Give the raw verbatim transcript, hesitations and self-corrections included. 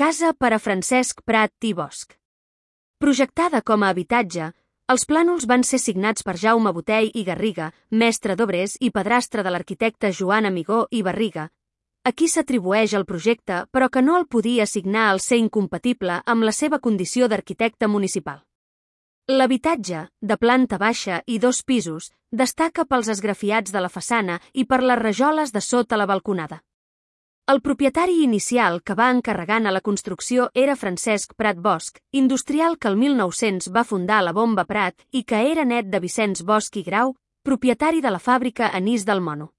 Casa per a Francesc Prat i Bosch. Projectada com a habitatge, els plànols van ser signats per Jaume Botey i Garriga, mestre d'obres i padrastre de l'arquitecte Joan Amigó i Barriga, a qui s'atribueix el projecte però que no el podia signar al ser incompatible amb la seva condició d'arquitecte municipal. L'habitatge, de planta baixa i dos pisos, destaca pels esgrafiats de la façana i per les rajoles de sota la balconada. El propietari inicial que va encarregant a la construcció era Francesc Prat Bosch, industrial que el mil nou-cents va fundar la Bomba Prat i que era net de Vicenç Bosch i Grau, propietari de la fàbrica Anís del Mono.